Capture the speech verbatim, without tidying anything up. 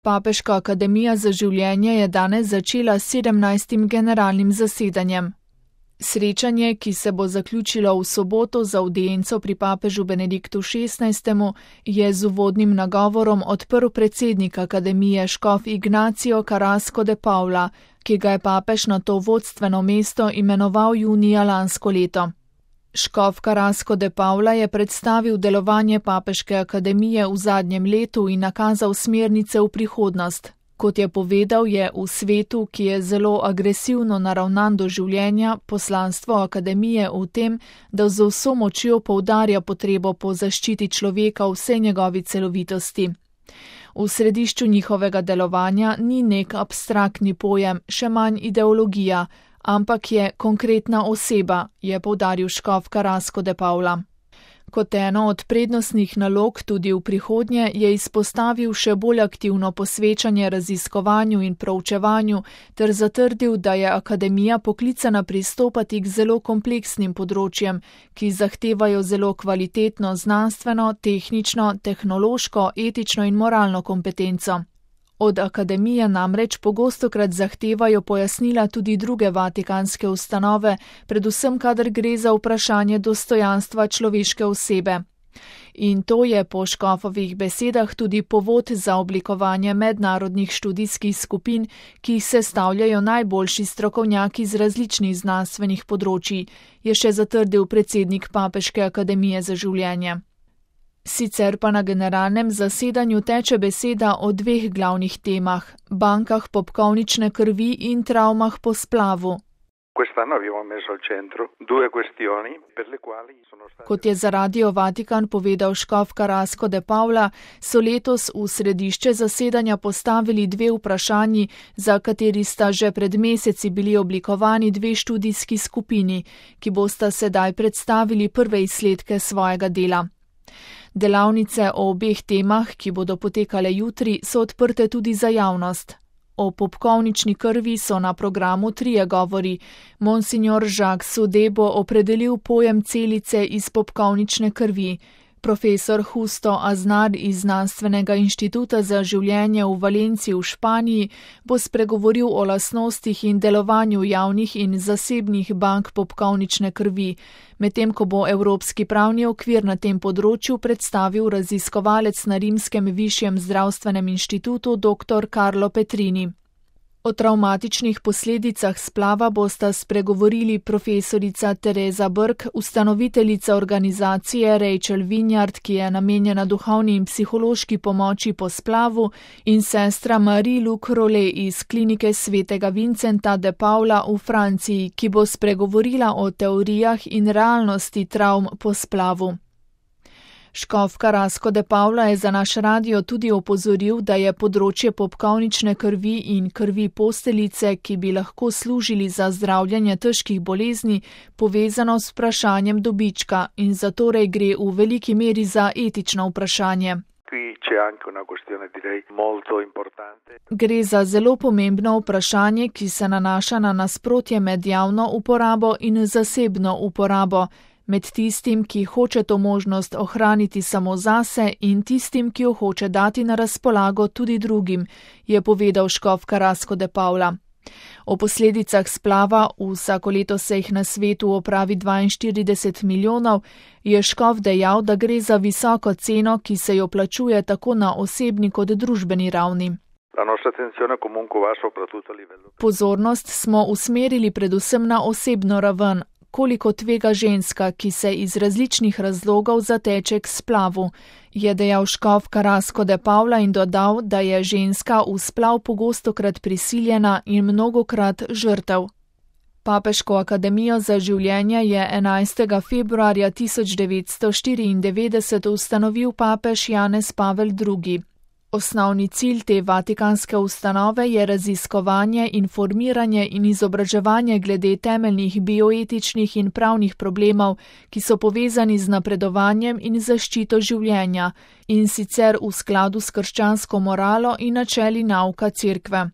Papeška akademija za življenje je danes začela s sedemnajstim generalnim zasedanjem. Srečanje, ki se bo zaključilo v soboto z avdienco pri papežu Benediktu šestnajstemu, je z uvodnim nagovorom odprl predsednik akademije škof Ignacio Carrasco de Paula, ki ga je papež na to vodstveno mesto imenoval junija lansko leto. Škof Carrasco de Paula je predstavil delovanje papeške akademije v zadnjem letu in nakazal smernice v prihodnost. Kot je povedal, je v svetu, ki je zelo agresivno naravnan do življenja, poslanstvo akademije v tem, da z vso močjo poudarja potrebo po zaščiti človeka v vsej njegovi celovitosti. V središču njihovega delovanja ni nek abstraktni pojem, še manj ideologija, ampak je konkretna oseba, je poudaril škof Carrasco de Paula. Kot eno od prednostnih nalog tudi v prihodnje je izpostavil še bolj aktivno posvečanje raziskovanju in proučevanju ter zatrdil, da je akademija poklicana pristopati k zelo kompleksnim področjem, ki zahtevajo zelo kvalitetno znanstveno, tehnično, tehnološko, etično in moralno kompetenco. Od akademije namreč pogostokrat zahtevajo pojasnila tudi druge vatikanske ustanove, predvsem kadar gre za vprašanje dostojanstva človeške osebe. In to je po škofovih besedah tudi povod za oblikovanje mednarodnih študijskih skupin, ki jih sestavljajo najboljši strokovnjaki z različnih znanstvenih področij, je še zatrdil predsednik Papeške akademije za življenje. Sicer pa na generalnem zasedanju teče beseda o dveh glavnih temah, bankah popkovnične krvi in travmah po splavu. Kot je za Radio Vatikan povedal škof Carrasco de Paula, so letos v središče zasedanja postavili dve vprašanji, za kateri sta že pred meseci bili oblikovani dve študijski skupini, ki bosta sedaj predstavili prve izsledke svojega dela. Delavnice o obeh temah, ki bodo potekale jutri, so odprte tudi za javnost. O popkovnični krvi so na programu trije govori. Monsignor Jacques Saudet bo opredelil pojem celice iz popkovnične krvi. Profesor Justo Aznar iz Znanstvenega inštituta za življenje v Valenciji v Španiji bo spregovoril o lastnostih in delovanju javnih in zasebnih bank popkovnične krvi, medtem ko bo Evropski pravni okvir na tem področju predstavil raziskovalec na Rimskem višjem zdravstvenem inštitutu dr. Carlo Petrini. O travmatičnih posledicah splava bosta spregovorili profesorica Teresa Brk, ustanoviteljica organizacije Rachel Vinyard, ki je namenjena duhovni in psihološki pomoči po splavu, in sestra Marie-Luc Rollet iz klinike svetega Vincenta de Paula v Franciji, ki bo spregovorila o teorijah in realnosti travm po splavu. Škof Carrasco de Paula je za naš radio tudi opozoril, da je področje popkovnične krvi in krvi posteljice, ki bi lahko služili za zdravljanje težkih bolezni, povezano s vprašanjem dobička in zatorej gre v veliki meri za etično vprašanje. Gre za zelo pomembno vprašanje, ki se nanaša na nasprotje med javno uporabo in zasebno uporabo, med tistim, ki hoče to možnost ohraniti samo zase in tistim, ki jo hoče dati na razpolago tudi drugim, je povedal škof Carrasco de Paula. O posledicah splava, vsako leto se jih na svetu opravi dvainštirideset milijonov, je škof dejal, da gre za visoko ceno, ki se jo plačuje tako na osebni kot družbeni ravni. Pozornost smo usmerili predvsem na osebno raven, koliko tvega ženska, ki se iz različnih razlogov zateče k splavu, je dejal škof Carrasco de Paula in dodal, da je ženska v splav pogostokrat prisiljena in mnogokrat žrtev. Papeško akademijo za življenje je enajstega februarja tisoč devetsto štiriindevetdeset ustanovil papež Janez Pavel drugi. Osnovni cilj te vatikanske ustanove je raziskovanje, informiranje in izobraževanje glede temeljnih bioetičnih in pravnih problemov, ki so povezani z napredovanjem in zaščito življenja, in sicer v skladu s krščansko moralo in načeli nauka Cerkve.